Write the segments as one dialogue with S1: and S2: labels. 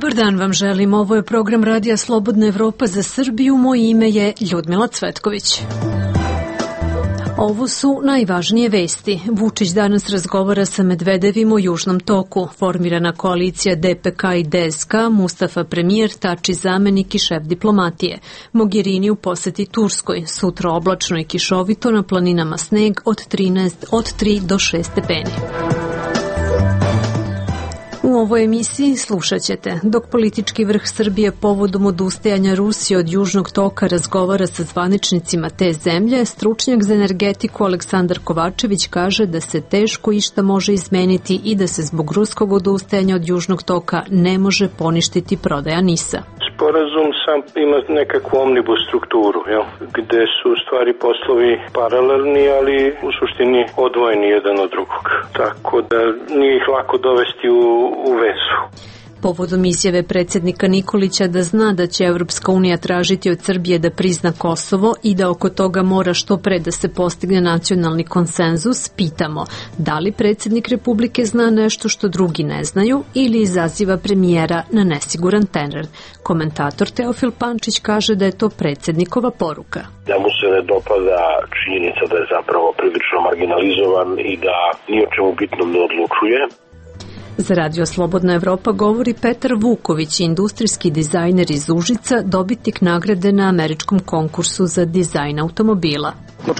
S1: Dobar dan vam želim, ovo je program Radija Slobodna Evropa za Srbiju, moje ime je Ljudmila Cvetković. Ovo su najvažnije vesti. Vučić danas razgovara sa Medvedevim o Južnom toku. Formirana koalicija DPK i DSK, Mustafa premijer, Tači zamenik i šef diplomatije. Mogherini u poseti Turskoj. Sutra oblačno i kišovito, na planinama sneg od 3 do 6 stepeni. U ovoj emisiji slušat ćete. Dok politički vrh Srbije povodom odustajanja Rusije od Južnog toka razgovara sa zvaničnicima te zemlje, stručnjak za energetiku Aleksandar Kovačević kaže da se teško išta može izmeniti i da se zbog ruskog odustajanja od Južnog toka ne može poništiti prodaja NIS-a.
S2: Sporazum sam ima nekakvu omnibus strukturu, gde su stvari poslovi paralelni, ali u suštini odvojeni jedan od drugog. Tako da nije ih lako dovesti u vezu.
S1: Povodom izjave predsjednika Nikolića da zna da će Evropska unija tražiti od Srbije da prizna Kosovo i da oko toga mora što pre da se postigne nacionalni konsenzus, pitamo da li predsjednik Republike zna nešto što drugi ne znaju ili izaziva premijera na nesiguran teren. Komentator Teofil Pančić kaže da je to predsjednikova poruka.
S3: Da mu se ne dopada činjenica da je zapravo prilično marginalizovan i da ni o čemu bitnom ne odlučuje.
S1: Za Radio Slobodna Evropa govori Petar Vuković, industrijski dizajner iz Užica, dobitnik nagrade na američkom konkursu za dizajn automobila.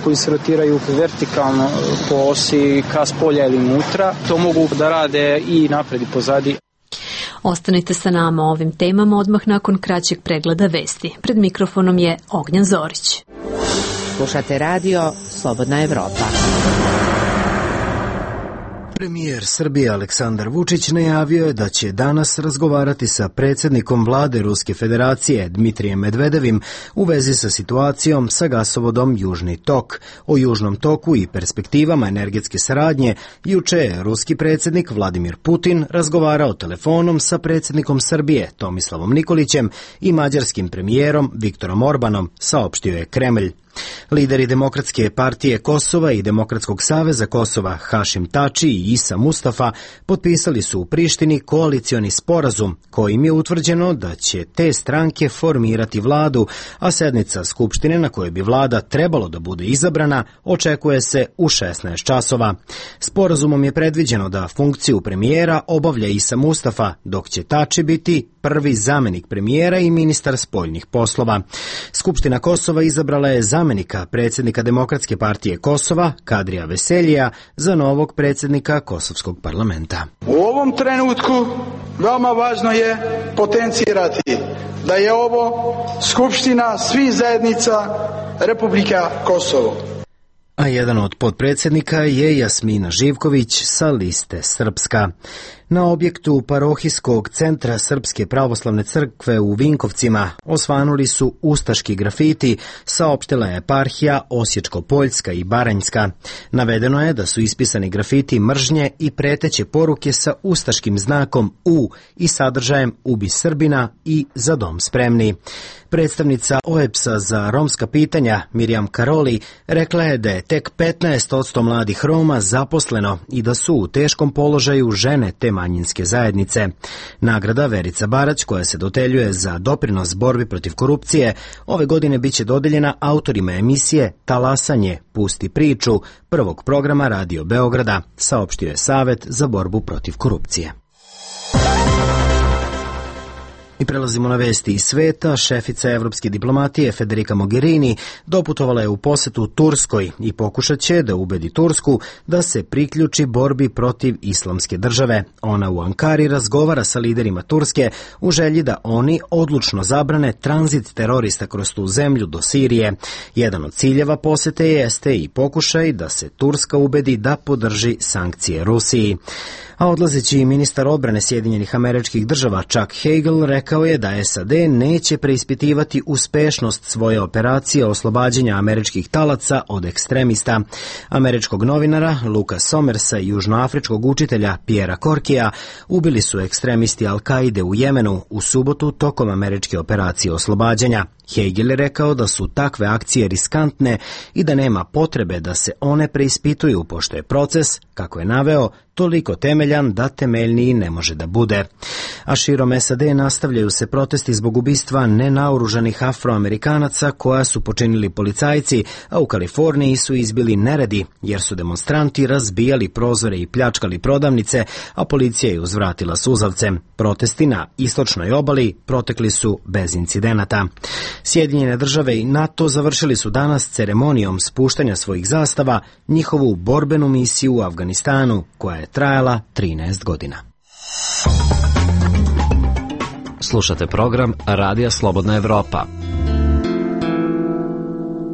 S4: Koji se rotiraju vertikalno po osi ka spolja ili unutra, to mogu da rade i napred i pozadi.
S1: Ostanite sa nama o ovim temama odmah nakon kraćeg pregleda vesti. Pred mikrofonom je Ognjan Zorić.
S5: Slušate Radio Slobodna Evropa.
S6: Premijer Srbije Aleksandar Vučić najavio je da će danas razgovarati sa predsjednikom vlade Ruske federacije Dmitrijem Medvedevim u vezi sa situacijom sa gasovodom Južni tok. O Južnom toku i perspektivama energetske saradnje juče je ruski predsjednik Vladimir Putin razgovarao telefonom sa predsjednikom Srbije Tomislavom Nikolićem i mađarskim premijerom Viktorom Orbanom, saopštio je Kremlj. Lideri Demokratske partije Kosova i Demokratskog saveza Kosova Hašim Tači i Isa Mustafa potpisali su u Prištini koalicioni sporazum kojim je utvrđeno da će te stranke formirati vladu, a sednica Skupštine na kojoj bi vlada trebalo da bude izabrana očekuje se u 16 časova. Sporazumom je predviđeno da funkciju premijera obavlja Isa Mustafa, dok će Tači biti prvi zamenik premijera i ministar spoljnih poslova. Skupština Kosova izabrala je zamenika predsjednika Demokratske partije Kosova, Kadrija Veseljija, za novog predsjednika Kosovskog parlamenta.
S7: U ovom trenutku veoma važno je potencirati da je ovo Skupština svih zajednica Republika Kosovo.
S6: A jedan od potpredsjednika je Jasmina Živković sa liste Srpska. Na objektu parohijskog centra Srpske pravoslavne crkve u Vinkovcima osvanuli su ustaški grafiti, saopštila je eparhija Osječko-Poljska i Baranjska. Navedeno je da su ispisani grafiti mržnje i preteće poruke sa ustaškim znakom U i sadržajem Ubi Srbina i Za dom spremni. Predstavnica OEBS-a za romska pitanja Mirjam Karoli rekla je da je tek 15% mladih Roma zaposleno i da su u teškom položaju žene te manjinske zajednice. Nagrada Verica Barać, koja se dodeljuje za doprinos borbi protiv korupcije, ove godine biće dodeljena autorima emisije Talasanje, pusti priču, prvog programa Radio Beograda, saopštio je Savet za borbu protiv korupcije. I prelazimo na vesti iz sveta. Šefica evropske diplomatije Federica Mogherini doputovala je u posetu Turskoj i pokušat će da ubedi Tursku da se priključi borbi protiv islamske države. Ona u Ankari razgovara sa liderima Turske u želji da oni odlučno zabrane tranzit terorista kroz tu zemlju do Sirije. Jedan od ciljeva posete jeste i pokušaj da se Turska ubedi da podrži sankcije Rusiji. A odlazeći ministar odbrane Sjedinjenih Američkih Država Chuck Hagel rekao je da SAD neće preispitivati uspešnost svoje operacije oslobađanja američkih talaca od ekstremista. Američkog novinara Luka Somersa i južnoafričkog učitelja Piera Korkija ubili su ekstremisti Al-Kaide u Jemenu u subotu tokom američke operacije oslobađanja. Hegel je rekao da su takve akcije riskantne i da nema potrebe da se one preispituju, pošto je proces, kako je naveo, toliko temeljan da temeljniji ne može da bude. A širom SAD nastavljaju se protesti zbog ubistva nenaoružanih Afroamerikanaca koja su počinili policajci, a u Kaliforniji su izbili neredi jer su demonstranti razbijali prozore i pljačkali prodavnice, a policija je uzvratila suzavce. Protesti na istočnoj obali protekli su bez incidenata. Sjedinjene države i NATO završili su danas ceremonijom spuštanja svojih zastava njihovu borbenu misiju u Afganistanu, koja je trajala 13 godina.
S8: Slušate program Radija Slobodna Evropa.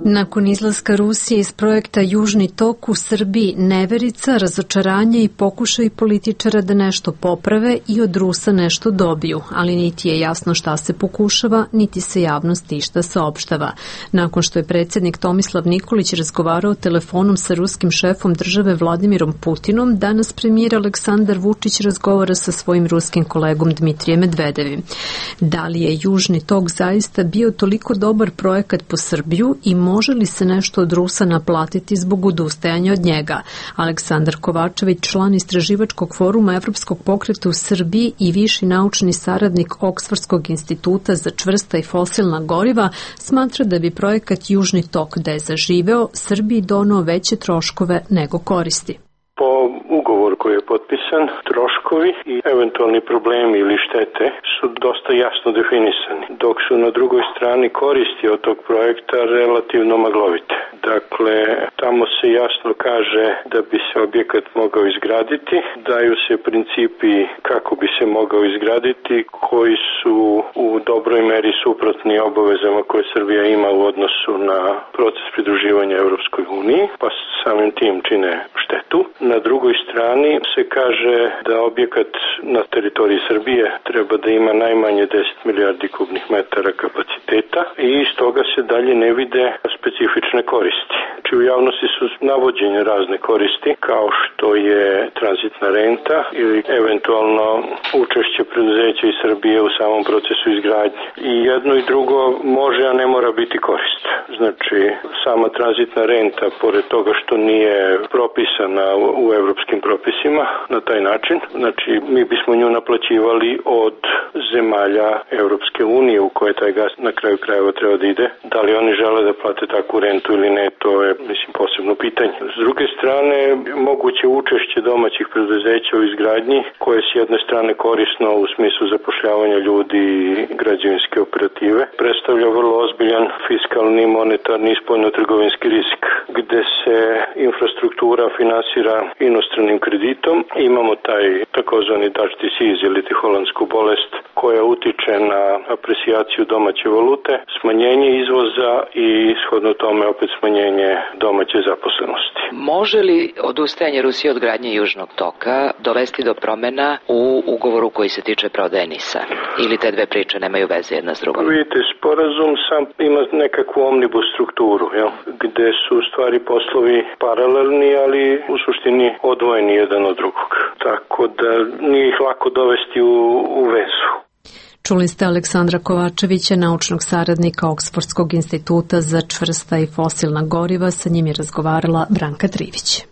S1: Nakon izlaska Rusije iz projekta Južni tok u Srbiji, neverica, razočaranje i pokušaj političara da nešto poprave i od Rusa nešto dobiju, ali niti je jasno šta se pokušava, niti se javnosti išta saopštava. Nakon što je predsjednik Tomislav Nikolić razgovarao telefonom sa ruskim šefom države Vladimirom Putinom, danas premijer Aleksandar Vučić razgovara sa svojim ruskim kolegom Dmitrijem Medvedevim. Da li je Južni tok zaista bio toliko dobar projekat po Srbiju i može li se nešto od Rusa naplatiti zbog odustajanja od njega? Aleksandar Kovačević, član istraživačkog foruma Evropskog pokreta u Srbiji i viši naučni saradnik Oksfordskog instituta za čvrsta i fosilna goriva, smatra da bi projekat Južni tok, da je zaživeo, Srbiji doneo veće troškove nego koristi.
S2: Po ugovoru koji je potpisan, troškovi i eventualni problemi ili štete su dosta jasno definisani, dok su na drugoj strani koristi od tog projekta relativno maglovite. Dakle, tamo se jasno kaže da bi se objekat mogao izgraditi, daju se principi kako bi se mogao izgraditi, koji su u dobroj meri suprotni obavezama koje Srbija ima u odnosu na proces pridruživanja Evropskoj uniji, pa samim tim čine štetu. Na drugoj strani se kaže da objekat na teritoriji Srbije treba da ima najmanje 10 milijardi kubnih metara kapaciteta i iz toga se dalje ne vide specifične koristi. Znači u javnosti su navođene razne koristi kao što je tranzitna renta ili eventualno učešće preduzeća iz Srbije u samom procesu izgradnje. I jedno i drugo može, a ne mora biti korist. Znači sama tranzitna renta, pored toga što nije propisana u evropskim propisima na taj način, znači mi bismo nju naplaćivali od zemalja Evropske unije u koje taj gas na kraju krajeva treba da ide. Da li oni žele da plate takvu rentu ili ne, to je posebno pitanje. S druge strane, moguće učešće domaćih preduzeća u izgradnji, koje s jedne strane korisno u smislu zapošljavanja ljudi i građevinske operative, predstavlja vrlo ozbiljan fiskalni, monetarni i spoljno-trgovinski rizik, gde se infrastruktura finansira inostranim kreditom. Imamo taj takozvani Dutch disease ili holandsku bolest koja utiče na aprecijaciju domaće valute, smanjenje izvoza i shodno tome opet smanjenje domaće zaposlenosti.
S9: Može li odustajanje Rusije od gradnje Južnog toka dovesti do promena u ugovoru koji se tiče prodaje NIS-a? Ili te dve priče nemaju veze jedna s drugom?
S2: Vidite, sporazum sam ima nekakvu omnibus strukturu, gde su stvari poslovi paralelni, ali u suštini odvojeni jedan od drugog. Tako da nije ih lako dovesti u vezu.
S1: Čuli ste Aleksandra Kovačevića, naučnog saradnika Oksfordskog instituta za čvrsta i fosilna goriva. Sa njim je razgovarala Branka Trivić.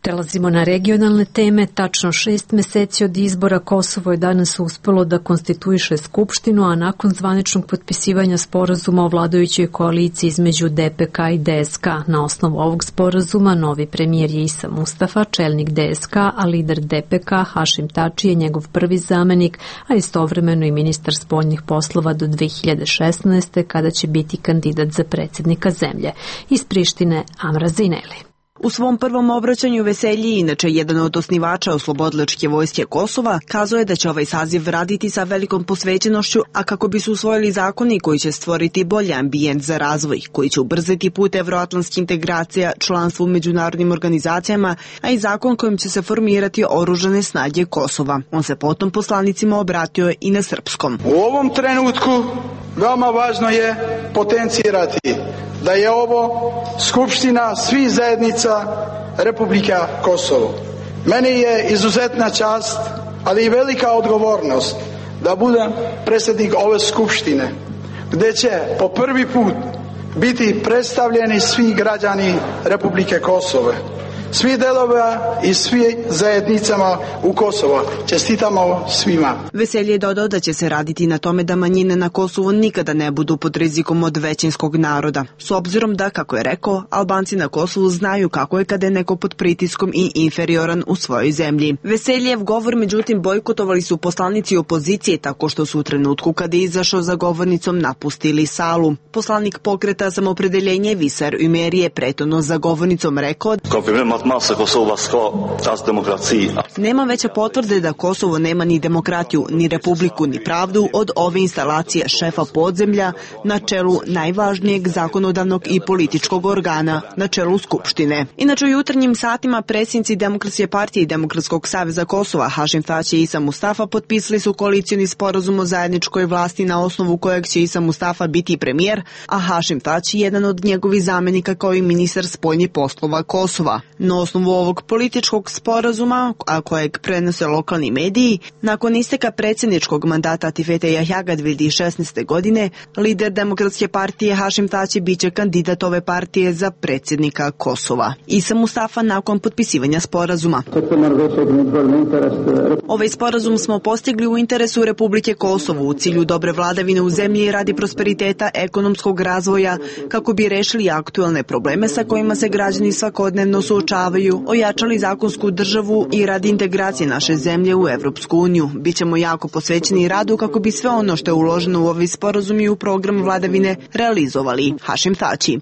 S1: Prelazimo na regionalne teme. Tačno 6 meseci od izbora Kosovo je danas uspelo da konstituiše Skupštinu, a nakon zvaničnog potpisivanja sporazuma o vladajućoj koaliciji između DPK i DSK. Na osnovu ovog sporazuma novi premijer je Isa Mustafa, čelnik DSK, a lider DPK Hašim Tači je njegov prvi zamenik, a istovremeno i ministar spoljnih poslova do 2016. kada će biti kandidat za predsjednika zemlje. Iz Prištine Amra Zineli.
S10: U svom prvom obraćanju Veselji, inače jedan od osnivača Oslobodilačke vojske Kosova, kazao je da će ovaj saziv raditi sa velikom posvećenošću, a kako bi se usvojili zakoni koji će stvoriti bolji ambijent za razvoj, koji će ubrzati put evroatlantskih integracija, članstvo u međunarodnim organizacijama, a i zakon kojim će se formirati oružane snage Kosova. On se potom poslanicima obratio i na srpskom.
S7: U ovom trenutku veoma važno je potencirati da je ovo skupština svih zajednica Republika Kosovo. Meni je izuzetna čast, ali i velika odgovornost da budem predsjednik ove skupštine, gdje će po prvi put biti predstavljeni svi građani Republike Kosovo, svi delova i svi zajednicama u Kosovo. Čestitamo svima.
S10: Veselje je dodao da će se raditi na tome da manjine na Kosovu nikada ne budu pod rizikom od većinskog naroda. S obzirom da, kako je rekao, Albanci na Kosovu znaju kako je kada je neko pod pritiskom i inferioran u svojoj zemlji. Veseljev govor, međutim, bojkotovali su poslanici opozicije tako što su u trenutku kada je izašao za govornicom napustili salu. Poslanik pokreta Samopredeljenje Visar Ümeri je pretorno za govornicom rekao: nema veće potvrde da Kosovo nema ni demokratiju, ni republiku, ni pravdu od ove instalacije šefa podzemlja na čelu najvažnijeg zakonodavnog i političkog organa, na čelu Skupštine. Inače, u jutarnjim satima predsjednici Demokratske partije i Demokratskog saveza Kosova Hašim Tači i Isa Mustafa potpisali su koalicioni sporazum o zajedničkoj vlasti na osnovu kojeg će Isa Mustafa biti premijer, a Hašim Tači jedan od njegovih zamenika kao i ministar spoljnih poslova Kosova. Na osnovu ovog političkog sporazuma, a kojeg prenose lokalni mediji, nakon isteka predsjedničkog mandata Atifete Jahjaga 2016. godine, lider Demokratske partije Hašim Tači biće kandidat ove partije za predsjednika Kosova. Isa Mustafa nakon potpisivanja sporazuma: ovaj sporazum smo postigli u interesu Republike Kosovo u cilju dobre vladavine u zemlji i radi prosperiteta ekonomskog razvoja kako bi rešili aktuelne probleme sa kojima se građani svakodnevno suočavaju, ojačali zakonsku državu i radi integracije naše zemlje u Evropsku uniju. Bićemo jako posvećeni radu kako bi sve ono što je uloženo u ovaj sporazum i u program vladavine realizovali. Hašim Tači: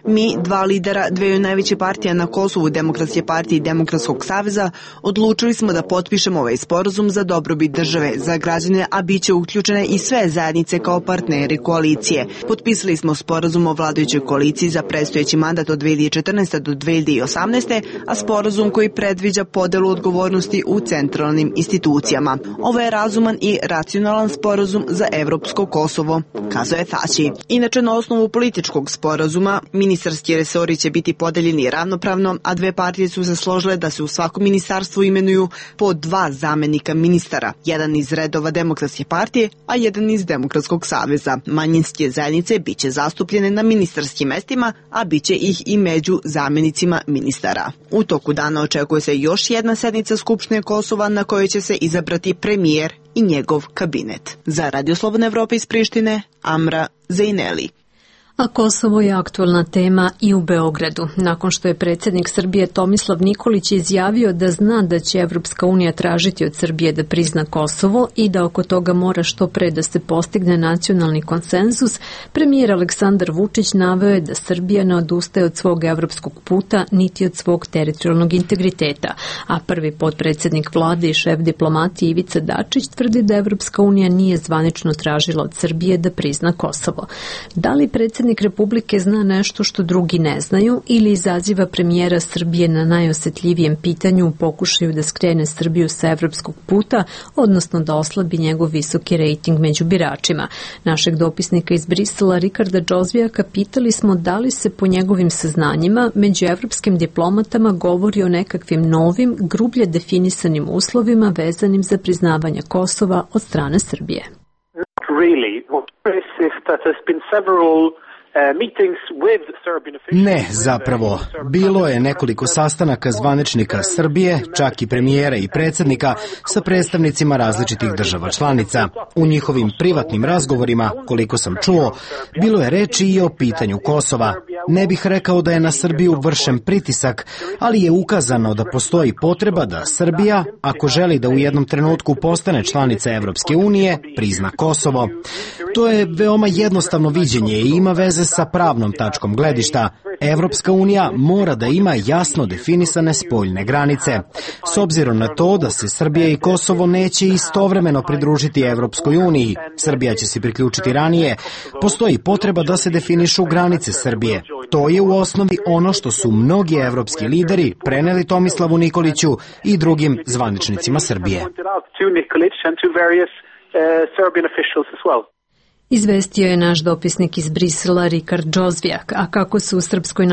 S10: mi, dva lidera dveju najveće partija na Kosovu, Demokratske partije i Demokratskog saveza, odlučili smo da potpišemo ovaj sporazum za dobrobit države, za građane, a bit će uključene i sve zajednice kao partneri koalicije. Potpisali smo sporazum o vladajućoj koaliciji za predstojeći mandat od 2014. do 2018. a sporazum koji predviđa podelu odgovornosti u centralnim institucijama. Ovo je razuman i racionalan sporazum za evropsko Kosovo, kazao je Tači. Inače, na osnovu političkog sporazuma, ministarski resori će biti podeljeni ravnopravno, a dve partije su se složile da se u svakom ministarstvu imenuju po dva zamenika ministara, jedan iz redova Demokratske partije, a jedan iz Demokratskog saveza. Manjinske zajednice biće zastupljene na ministarskim mestima, a biće ih i među zamenicima ministara. U toku dana očekuje se još jedna sednica Skupštine Kosova na kojoj će se izabrati premijer i njegov kabinet. Za Radio Slobodna Evropa iz Prištine, Amra Zejneli.
S1: A Kosovo je aktualna tema i u Beogradu, nakon što je predsjednik Srbije Tomislav Nikolić izjavio da zna da će Evropska unija tražiti od Srbije da prizna Kosovo i da oko toga mora što pre da se postigne nacionalni konsenzus. Premijer Aleksandar Vučić naveo je da Srbija ne odustaje od svog evropskog puta niti od svog teritorijalnog integriteta, a prvi potpredsjednik vlade i šef diplomatije Ivica Dačić tvrdi da Evropska unija nije zvanično tražila od Srbije da prizna Kosovo. Da li predsjednik Republike zna nešto što drugi ne znaju ili izaziva premijera Srbije na najosetljivijem pitanju u pokušaju da skrene Srbiju sa evropskog puta, odnosno da oslabi njegov visoki rejting među biračima? Našeg dopisnika iz Brisela Rikarda Džozvijaka pitali smo da li se po njegovim saznanjima među evropskim diplomatama govori o nekakvim novim, grublje definisanim uslovima vezanim za priznavanje Kosova od strane Srbije.
S6: Ne, zapravo. Bilo je nekoliko sastanaka zvaničnika Srbije, čak i premijera i predsjednika, sa predstavnicima različitih država članica. U njihovim privatnim razgovorima, koliko sam čuo, bilo je reči i o pitanju Kosova. Ne bih rekao da je na Srbiju vršen pritisak, ali je ukazano da postoji potreba da Srbija, ako želi da u jednom trenutku postane članica Evropske unije, prizna Kosovo. To je veoma jednostavno viđenje i ima veze sa pravnom tačkom gledišta. Evropska unija mora da ima jasno definisane spoljne granice. S obzirom na to da se Srbija i Kosovo neće istovremeno pridružiti Evropskoj uniji, Srbija će se priključiti ranije, postoji potreba da se definišu granice Srbije. To je u osnovi ono što su mnogi evropski lideri preneli Tomislavu Nikoliću i drugim zvaničnicima Srbije.
S1: Izvestio je naš dopisnik iz Brisela Rikard Džozvijak, a kako se u Srpskoj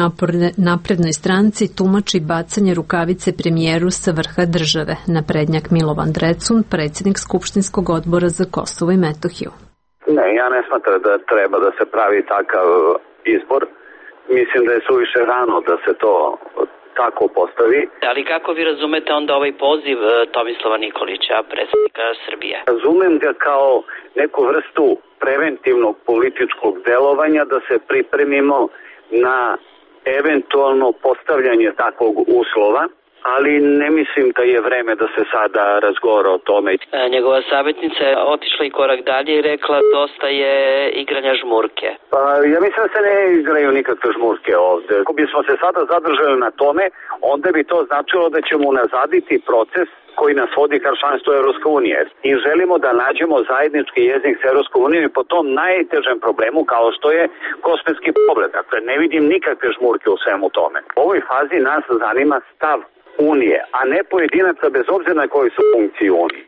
S1: naprednoj stranci tumači bacanje rukavice premijeru sa vrha države, naprednjak Milovan Drecun, predsjednik Skupštinskog odbora za Kosovo i Metohiju.
S11: Ne, ja ne smatram da treba da se pravi takav izbor. Mislim da je suviše rano da se to tako postavi.
S9: Ali kako vi razumete onda ovaj poziv Tomislava Nikolića, predsjednika Srbije?
S11: Razumem ga kao neku vrstu preventivnog političkog delovanja da se pripremimo na eventualno postavljanje takvog uslova, ali ne mislim da je vreme da se sada razgovara o tome.
S9: Njegova savjetnica je otišla i korak dalje i rekla dosta je igranja žmurke.
S11: Pa ja mislim da se ne igraju nikakve žmurke ovde. Ako bismo se sada zadržali na tome, onda bi to značilo da ćemo unazaditi proces koji nas vodi ka članstvu Evropske unije. I želimo da nađemo zajednički jezik s Evropskom unijom i po tom najtežem problemu kao što je kosmetski pogled. Dakle, ne vidim nikakve žmurke u svemu tome. U ovoj fazi nas zanima stav Unije, a ne pojedinaca bez obzira na koji su funkciji Unije.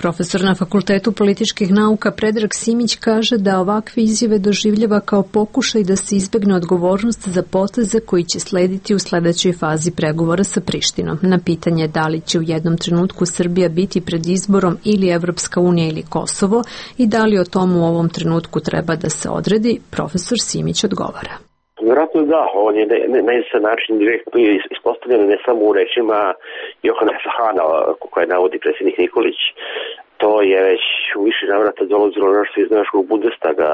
S1: Profesor na Fakultetu političkih nauka Predrag Simić kaže da ovakve izjave doživljava kao pokušaj da se izbegne odgovornost za poteze koji će slediti u sledećoj fazi pregovora sa Prištinom. Na pitanje da li će u jednom trenutku Srbija biti pred izborom ili Evropska unija ili Kosovo i da li o tomu u ovom trenutku treba da se odredi, profesor Simić odgovara.
S3: Vjerojatno da, on je na jedan način direktno ispostavljen ne samo u rečima Johanesa Hana koje navodi predsjednik Nikolić. To je već u više navrata dolazilo nešto iz našeg Bundestaga,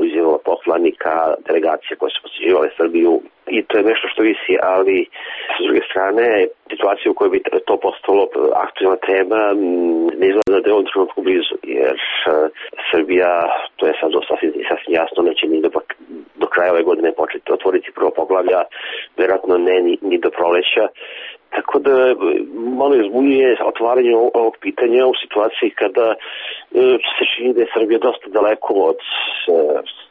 S3: izjavila poslanika, delegacija koje su posjećivale Srbiju i to je nešto što visi, ali s druge strane situacija u kojoj bi to postalo aktualna tema ne izgleda da je ovom trenutku blizu, jer Srbija, to je sad sasvim jasno, neće ni do kraja ove godine početi otvoriti prvo poglavlja, vjerojatno ne ni do proleća. Tako da malo izbunjuje otvaranje ovog pitanja u situaciji kada se čini da je Srbija dosta daleko od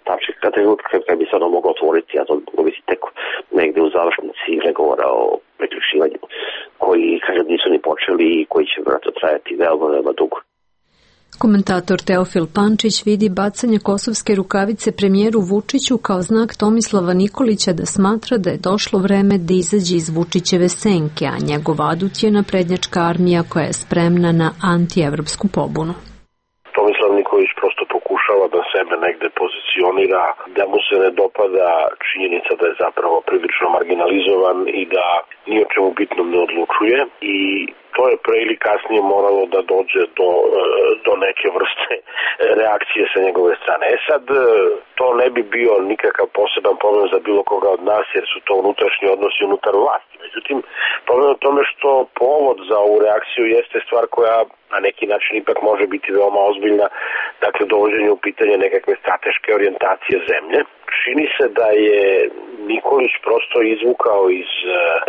S3: tačka trenutka kada bi se ono moglo otvoriti, a to moglo biti tek negde u završnici pregovora o priključivanju koji, kažem, nisu ni počeli i koji će vjerojatno trajati veoma dugo.
S1: Komentator Teofil Pančić vidi bacanje kosovske rukavice premijeru Vučiću kao znak Tomislava Nikolića da smatra da je došlo vreme da izađe iz Vučićeve senke, a njegov adut je naprednjačka armija koja je spremna na antievropsku pobunu.
S3: Tomislav Nikolić prosto pokušava da sebe negde pozicionira, da mu se ne dopada činjenica da je zapravo prilično marginalizovan i da ni o čemu bitnom ne odlučuje i to je pre ili kasnije moralo da dođe do neke vrste reakcije sa njegove strane. Sad, to ne bi bio nikakav poseban problem za bilo koga od nas, jer su to unutrašnji odnosi unutar vlasti. Međutim, problem je tome što povod za ovu reakciju jeste stvar koja na neki način ipak može biti veoma ozbiljna, dakle dovođenje u pitanje nekakve strateške orijentacije zemlje. Čini se da je Nikolić prosto izvukao iz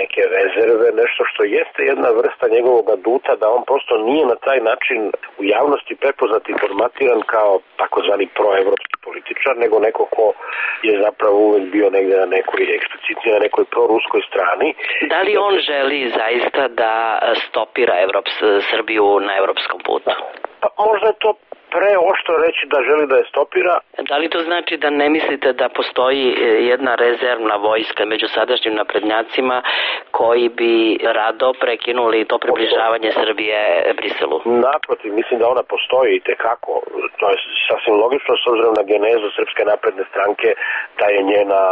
S3: neke rezerve nešto što jeste jedna vrsta njegovog aduta, da on prosto nije na taj način u javnosti prepoznat i formatiran kao takozvani proevropski političar, nego neko ko je zapravo uvek bio negde na nekoj eksplicitnije, na nekoj proruskoj strani.
S9: Da li on želi zaista da stopira Srbiju na evropskom putu?
S3: Pa možda je to preoštro reći da želi da je stopira.
S9: Da li to znači da ne mislite da postoji jedna rezervna vojska među sadašnjim naprednjacima koji bi rado prekinuli to približavanje Srbije Briselu?
S3: Naprotiv, mislim da ona postoji i tekako. To je sasvim logično s obzirom na genezu Srpske napredne stranke, da je njena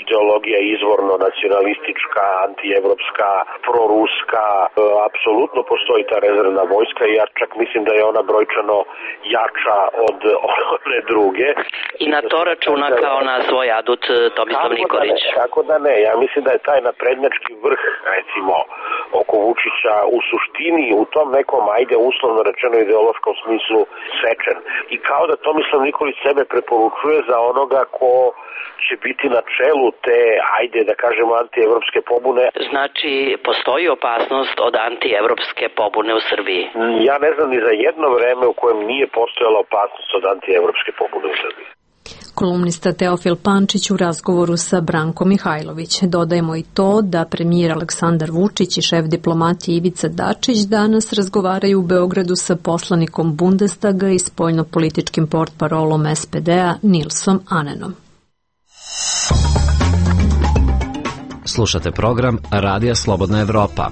S3: ideologija izvorno nacionalistička, antievropska, proruska. Apsolutno postoji ta rezervna vojska i ja čak mislim da je ona brojčano jača od one druge.
S9: I na to računa kao na svoj adut Tomislav Nikolić.
S3: Tako da ne, ja mislim da je taj naprednjački vrh, recimo, oko Vučića u suštini u tom nekom, ajde uslovno rečeno ideološkom smislu sečen. I kao da Tomislav Nikolić sebe preporučuje za onoga ko će biti na čelu te, ajde da kažemo, antievropske pobune.
S9: Znači, postoji opasnost od antievropske pobune u Srbiji?
S3: Ja ne znam ni za jedno vreme u kojem nije postojala opasnost od antievropske pobune u Srbiji.
S1: kolumnista Teofil Pančić u razgovoru sa Brankom Mihajlović. Dodajemo i to da premijer Aleksandar Vučić i šef diplomatije Ivica Dačić danas razgovaraju u Beogradu sa poslanikom Bundestaga i spoljnopolitičkim portparolom SPD-a Nilsom Anenom.
S8: Slušate program Radija Slobodna Evropa.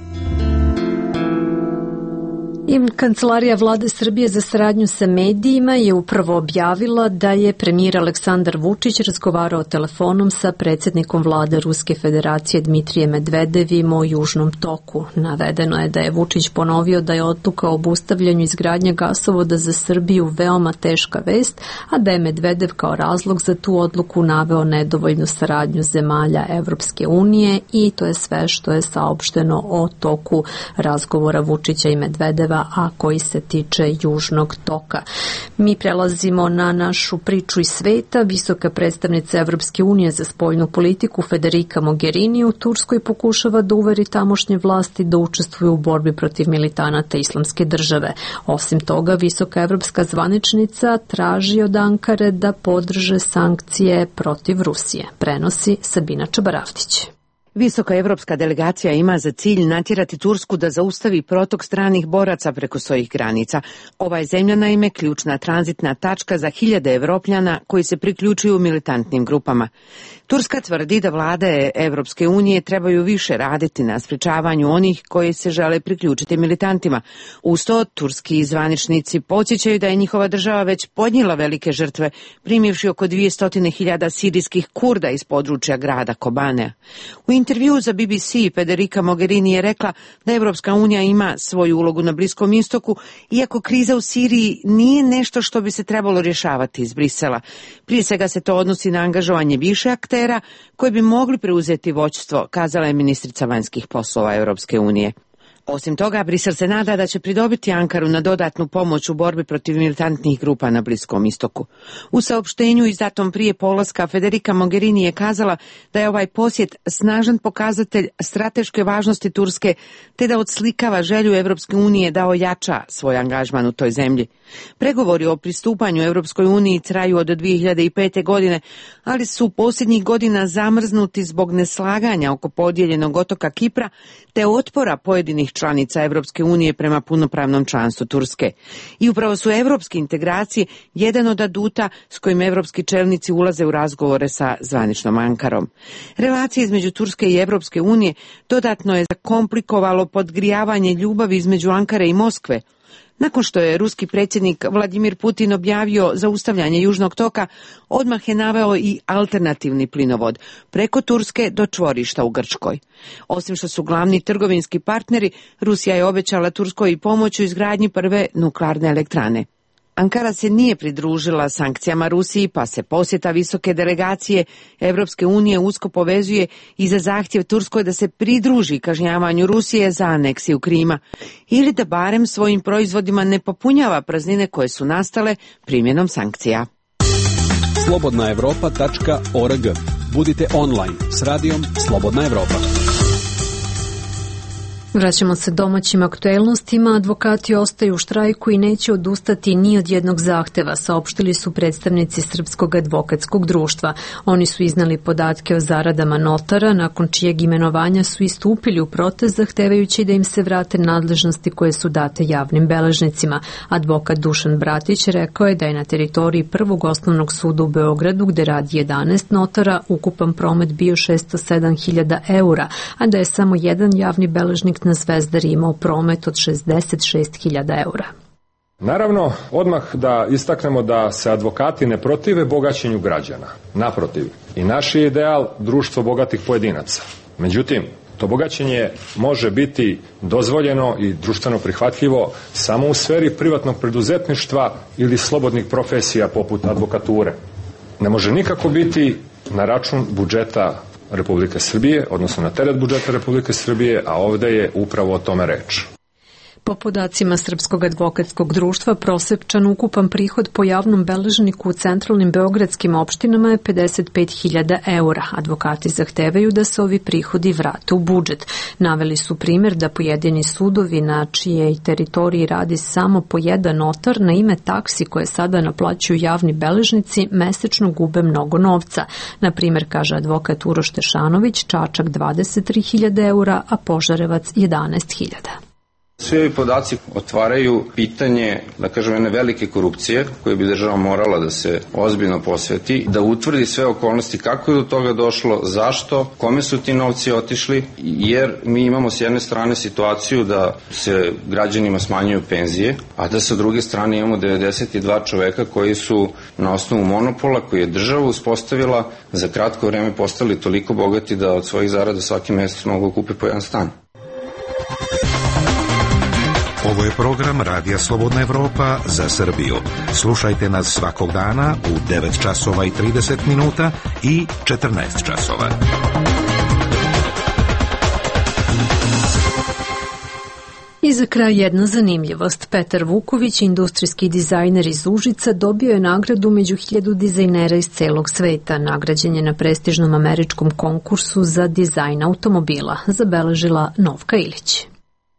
S1: Kancelarija Vlade Srbije za saradnju sa medijima je upravo objavila da je premijer Aleksandar Vučić razgovarao telefonom sa predsjednikom Vlade Ruske Federacije Dmitrijem Medvedevim o Južnom toku. Navedeno je da je Vučić ponovio da je odluka o obustavljanju izgradnje gasovoda za Srbiju veoma teška vest, a da je Medvedev kao razlog za tu odluku naveo nedovoljnu saradnju zemalja Evropske unije i to je sve što je saopšteno o toku razgovora Vučića i Medvedeva, a koji se tiče Južnog toka. Mi prelazimo na našu priču iz sveta. Visoka predstavnica Evropske unije za spoljnu politiku Federica Mogherini u Turskoj pokušava da uveri tamošnje vlasti da učestvuju u borbi protiv militanata Islamske države. Osim toga, visoka evropska zvaničnica traži od Ankare da podrže sankcije protiv Rusije. Prenosi Sabina Čabaravtić.
S5: Visoka evropska delegacija ima za cilj natjerati Tursku da zaustavi protok stranih boraca preko svojih granica. Ova je zemlja naime ključna tranzitna tačka za hiljade Evropljana koji se priključuju militantnim grupama. Turska tvrdi da vlade Evropske unije trebaju više raditi na sprečavanju onih koji se žele priključiti militantima. Uz to, turski zvaničnici podsjećaju da je njihova država već podnijela velike žrtve, primivši oko 200.000 sirijskih Kurda iz područja grada Kobane. U intervjuu za BBC Federica Mogherini je rekla da Evropska unija ima svoju ulogu na Bliskom istoku, iako kriza u Siriji nije nešto što bi se trebalo rješavati iz Brisela. Prije svega se to odnosi na angažovanje više aktera koji bi mogli preuzeti vođstvo, kazala je ministrica vanjskih poslova Evropske unije. Osim toga, Brisel se nada da će pridobiti Ankaru na dodatnu pomoć u borbi protiv militantnih grupa na Bliskom istoku. U saopštenju izdatom prije polaska Federica Mogherini je kazala da je ovaj posjet snažan pokazatelj strateške važnosti Turske, te da odslikava želju Evropske unije da ojača svoj angažman u toj zemlji. Pregovori o pristupanju Evropskoj uniji traju od 2005. godine, ali su posljednjih godina zamrznuti zbog neslaganja oko podijeljenog otoka Kipra, te otpora pojedinih članica Evropske unije prema punopravnom članstvu Turske. I upravo su evropske integracije jedan od aduta s kojim evropski čelnici ulaze u razgovore sa zvaničnom Ankarom. Relacije između Turske i Evropske unije dodatno je zakomplikovalo podgrijavanje ljubavi između Ankare i Moskve. Nakon što je ruski predsjednik Vladimir Putin objavio zaustavljanje Južnog toka, odmah je naveo i alternativni plinovod preko Turske do čvorišta u Grčkoj. Osim što su glavni trgovinski partneri, Rusija je obećala Turskoj i pomoć u izgradnji prve nuklearne elektrane. Ankara se nije pridružila sankcijama Rusiji, pa se posjeta visoke delegacije Evropske unije usko povezuje i za zahtjev Turskoj da se pridruži kažnjavanju Rusije za aneksiju Krima ili da barem svojim proizvodima ne popunjava praznine koje su nastale primjenom sankcija.
S12: slobodnaevropa.org. Budite online s radijom Slobodna Evropa.
S1: Vraćamo se domaćim aktuelnostima. Advokati ostaju u štrajku i neće odustati ni od jednog zahteva, saopštili su predstavnici Srpskog advokatskog društva. Oni su iznali podatke o zaradama notara, nakon čijeg imenovanja su istupili u protest zahtevajući da im se vrate nadležnosti koje su date javnim beležnicima. Advokat Dušan Bratić rekao je da je na teritoriji Prvog osnovnog suda u Beogradu, gde radi 11 notara, ukupan promet bio 607.000 eura, a da je samo jedan javni beležnik na Zvezdari imao promet od 66.000 eura.
S13: Naravno, odmah da istaknemo da se advokati ne protive bogaćenju građana. Naprotiv, i naš je ideal društvo bogatih pojedinaca. Međutim, to bogaćenje može biti dozvoljeno i društveno prihvatljivo samo u sferi privatnog preduzetništva ili slobodnih profesija poput advokature. Ne može nikako biti na račun budžeta Republike Srbije, odnosno na teret budžeta Republike Srbije, a ovde je upravo o tome reč.
S1: Po podacima Srpskog advokatskog društva, prosečan ukupan prihod po javnom beležniku u centralnim beogradskim opštinama je 55.000 eura. Advokati zahtevaju da se ovi prihodi vrate u budžet. Naveli su primjer da pojedini sudovi na čijej teritoriji radi samo po jedan notar na ime taksi koje sada naplaćuju javni beležnici mesečno gube mnogo novca. Na primjer, kaže advokat Uroš Tešanović, Čačak 23.000 eura, a Požarevac 11.000.
S14: Svi ovi podaci otvaraju pitanje, da kažem, jedne velike korupcije koje bi država morala da se ozbiljno posveti, da utvrdi sve okolnosti kako je do toga došlo, zašto, kome su ti novci otišli, jer mi imamo s jedne strane situaciju da se građanima smanjuju penzije, a da sa druge strane imamo 92 čoveka koji su na osnovu monopola koji je država uspostavila za kratko vreme postali toliko bogati da od svojih zarada svaki mesec mogu kupe po jedan stan.
S15: Ovo je program Radija Slobodna Evropa za Srbiju. Slušajte nas svakog dana u 9 časova i 30 minuta i 14 časova.
S1: I za kraj jedna zanimljivost. Petar Vuković, industrijski dizajner iz Užica, dobio je nagradu među 1000 dizajnera iz celog sveta. Nagrađen je na prestižnom američkom konkursu za dizajn automobila, zabeležila Novka Ilić.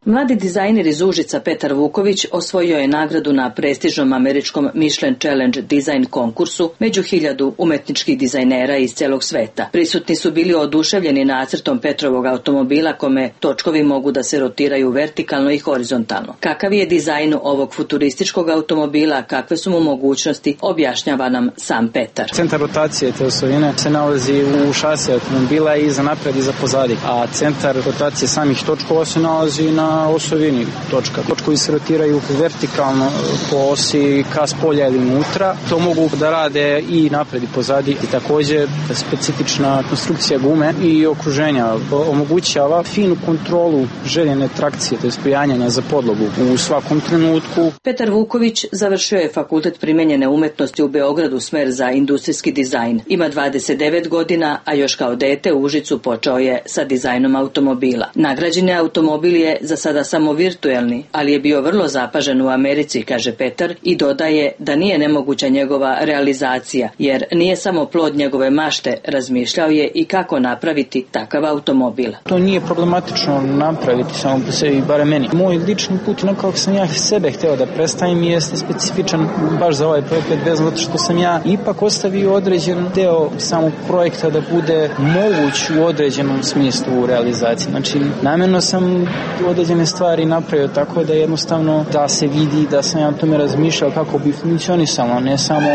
S16: Mladi dizajner iz Užica Petar Vuković osvojio je nagradu na prestižnom američkom Michelin Challenge dizajn konkursu među 1000 umetničkih dizajnera iz celog sveta. Prisutni su bili oduševljeni nacrtom Petrovog automobila kome točkovi mogu da se rotiraju vertikalno i horizontalno. Kakav je dizajn ovog futurističkog automobila, kakve su mu mogućnosti, objašnjava nam sam Petar.
S4: Centar rotacije te osovine se nalazi u šasi automobila i za napred i za pozadi, a centar rotacije samih točkova se nalazi na osovini točka. Točkovi se rotiraju vertikalno po osi ka spolja ili unutra. To mogu da rade i napred i pozadi. I također specifična konstrukcija gume i okruženja omogućava finu kontrolu željene trakcije, to je prijanjanja za podlogu u svakom trenutku.
S16: Petar Vuković završio je Fakultet primenjene umetnosti u Beogradu, smer za industrijski dizajn. Ima 29 godina, a još kao dete u Užicu počeo je sa dizajnom automobila. Nagrađeni automobil je za sada samo virtuelni, ali je bio vrlo zapažen u Americi, kaže Petar, i dodaje da nije nemoguća njegova realizacija, jer nije samo plod njegove mašte, razmišljao je i kako napraviti takav automobil.
S4: To nije problematično napraviti samo po sebi, bare meni. Moj lični put, kako sam ja sebe hteo da predstavim, jeste specifičan baš za ovaj projekat, zato što sam ja ipak ostavio određen deo samog projekta da bude moguć u određenom smislu u realizaciji. Znači, namjerno sam određene stvari napravio tako da jednostavno da se vidi da sam ja o tome razmišljao kako bi funkcionisalo, ne samo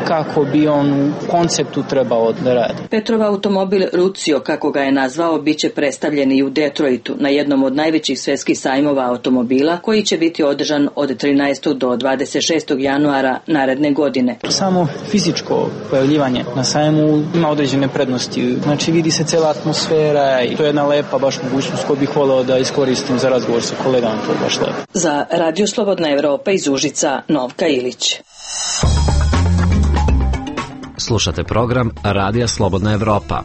S4: kako bi on u konceptu trebao da radi.
S16: Petrov automobil Rucio, kako ga je nazvao, bit će predstavljen i u Detroitu na jednom od najvećih svetskih sajmova automobila koji će biti održan od 13. do 26. januara naredne godine.
S4: Samo fizičko pojavljivanje na sajmu ima određene prednosti. Znači vidi se cela atmosfera i to je jedna lepa baš mogućnost koju bih voleo da iskoristim za razgovor sa kolegama, to je baš lepo.
S16: Za Radio Slobodna Evropa iz Užica, Novka Ilić.
S8: Slušate program Radija Slobodna Evropa.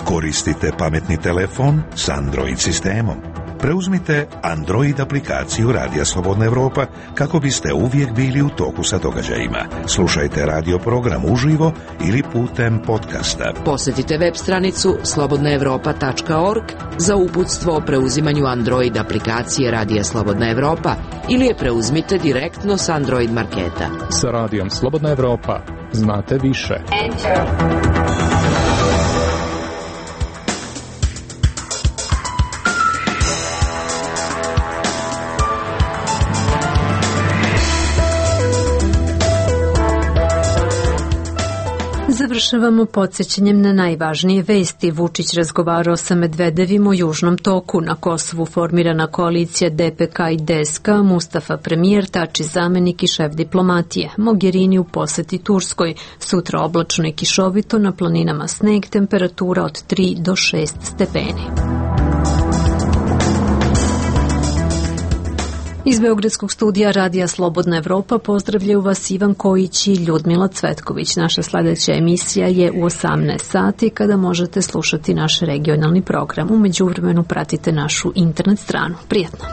S15: Koristite pametni telefon s Android sistemom. Preuzmite Android aplikaciju Radija Slobodna Evropa kako biste uvijek bili u toku sa događajima. Slušajte radio program uživo ili putem podcasta.
S5: Posjetite web stranicu slobodnaevropa.org za uputstvo o preuzimanju Android aplikacije Radija Slobodna Evropa ili je preuzmite direktno s Android marketa.
S17: Sa Radijom Slobodna Evropa znate više.
S1: Završavamo podsjećanjem na najvažnije vesti. Vučić razgovarao sa Medvedevim o Južnom toku. Na Kosovu formirana koalicija DPK i DSK, Mustafa premijer, Tači zamenik i šef diplomatije. Mogherini u poseti Turskoj. Sutra oblačno i kišovito, na planinama sneg, temperatura od 3 do 6 stepeni. Iz Beogradskog studija Radija Slobodna Evropa pozdravljaju vas Ivan Kojić i Ljudmila Cvetković. Naša sledeća emisija je u 18 sati kada možete slušati naš regionalni program. U međuvremenu pratite našu internet stranu. Prijatno!